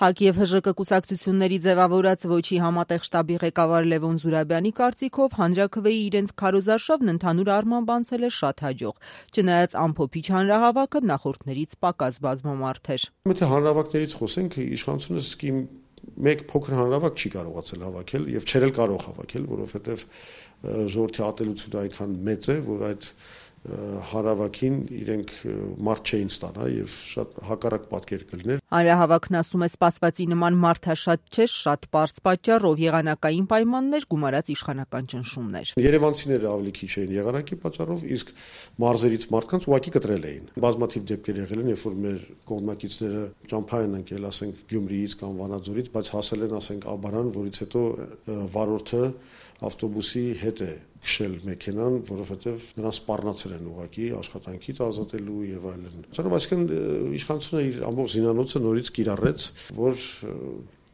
ՀԱԿ եւ ՀԺԿ կուսակցությունների ձևավորած ոչի համատեղ շտաբի ղեկավար Լևոն Զուրաբյանի կարծիքով հանրաքվեի իրենց քարոզարշավն ընդհանուր առմամբ անցել է շատ հաջող, չնայած ամփոփիչ հանրահավաքը նախորդներից պակաս բազմամարդ էր։ Եթե հանրահավաքներից խոսենք, իշխանությունը սկի մեկ փոքր հանրահավաք չի կարողացել հավաքել եւ չէր էլ կարող հավաքել, որովհետեւ ժողովրդի ատելությունը այնքան մեծ է, որ այդ հանրահավաքին իրենք մարդ չէին ստանա եւ շատ հակառակ պատկեր կլիներ։ Հանրահավաքն, ասում է, սպասվածի նման մարդաշատ չէ, շատ պարզ պատճառով եղանակային պայմաններ, գումարած իշխանական ճնշումներ։ Երևանցիները ավելի քիչ էին եղանակի պատճառով, իսկ մարզերից մարդկանց ուղղակի կտրել էին։ Բազմաթիվ դեպքեր եղել են, երբ որ մեր կողմնակիցները ճամփա են ընկել, ասենք Գյումրիից կամ Վանաձորից, բայց հասել են, ասենք, Աբարան, որից հետո վարորդը ավտոբուսի հետ է քշել մեքենան, որովհետև նրանց սպառնացել են ուղղակի աշխատանքից ազատելու եւ այլն։ Այսինքն իշխանությունը իր ամբողջ զինանոցը նորից կիրառեց, որ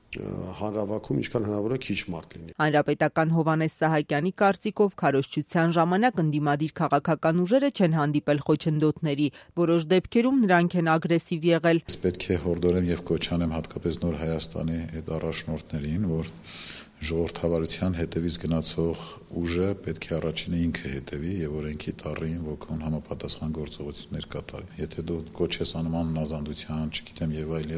հանրահավաքում ինչքան հնարավոր է քիչ մարդ լինի։ Հանրապետական Հովհաննես Սահակյանի կարծիքով քարոզչության ժամանակ ընդդիմադիր քաղաքական ուժերը չեն հանդիպել խոչընդոտների, որոշ դեպքերում նրանք են ագրեսիվ եղել։ Պետք է հորդորեմ եւ կոչ անեմ հատկապես Նոր Հայաստանի այդ առաջնորդներին, որ ժողովրդավարության հետևից գնացող ուժը պետք է առաջինը ինքը հետևի եւ օրենքի տառին ոգուն համապատասխան գործողություններ կատարի։ Եթե դու կոչ ես անում անազանդության, չգիտեմ եւ այլ,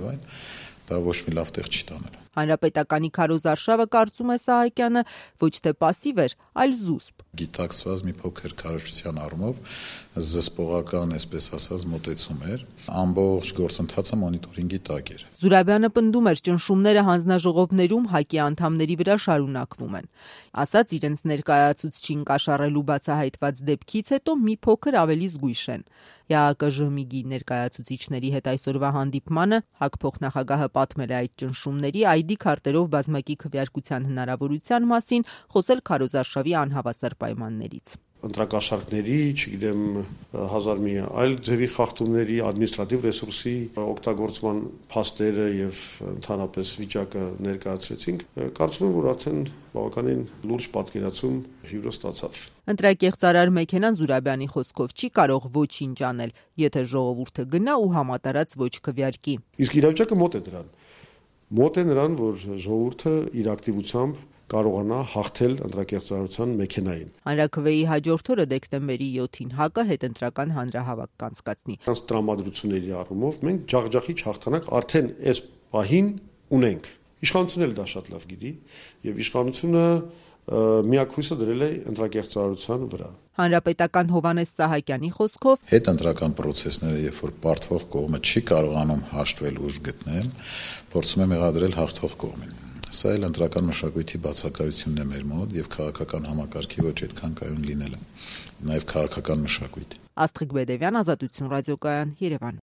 դա ոչ մի լավ տեղ չի տանել։ Հանրապետականի քարոզարշավը, կարծում է Սահակյանը, ոչ թե պասիվ էր, այլ զուսպ։ Գիտակցված մի փոքր քարոզչության առումով զսպողական, այսպես ասած, մոտեցում էր, ամբողջ գործընթացը մոնիտորինգի տակ էր։ Զուրաբյանը պնդում էր, ճնշումները հանձնաժողովներում ՀԱԿ-ի անդամների վրա շարունակվում են։ Ասաց, իրենց ներկայացուցչին կաշառելու բացահայտված դեպքից հետո մի փոքր ավելի զգույշ են։ ԵԱԿ-ԺՀՄԻԳ-ի ներկայացուցիչների հետ այսօրվա հանդիպմանը ՀԱԿ փոխնախագահը պատմել է այդ ճնշումների, ID քարտերով բազմակի քվեարկության հնարավորության մասին, խոսել քարոզարշավի անհավասար պայմաններից։ Ընտրակաշառքների, չգիտեմ, հազար մի այլ ձևի խախտումների, ադմինիստրատիվ ռեսուրսի օգտագործման փաստերը եւ ընդհանրապես վիճակը ներկայացրեցինք, կարծում եմ, որ արդեն բավականին լուրջ պատկերացում հյուրը ստացավ։ Ընտրակեղծարար մեքենան Զուրաբյանի խոսքով չի կարող ոչինչ անել, եթե ժողովուրդը գնա ու համատարած ոչ քվեարկի։ Իսկ իրավիճակը մոտ է դրան։ Մոտ է նրան, որ ժողովուրդը իր ակտիվությամբ կարողանա հաղթել ընտրակեղծարարության մեքենային։ Հանրաքվեի հաջորդ օրը դեկտեմբերի 7-ին ՀԱԿ-ը հետընտրական հանրահավաք կանցկացնի։ Այս տրամադրությունների առումով մենք ջախջախիչ հաղթանակ արդեն այս պահին ունենք։ Իշխանությունն էլ դա շատ լավ գիտի, եւ իշխանությունը միակ հույսը դրել է ընտրակեղծարարության վրա։ Հանրապետական Հովհաննես Սահակյանի խոսքով հետընտրական process-ները, երբ որ պարտվող կողմը չի կարողանում հաշտվել ուժ գտնել, փորձում է մեղադրել հաղթող կողմին։ Սա էլ ընտրական մշակույթի բացակայությունն է մեր մոտ եւ քաղաքական համակարգի ոչ այդքան կայուն լինելը, նաեւ քաղաքական մշակույթ։ Աստղիկ Բեդևյան, Ազատություն ռադիոկայան, Երևան։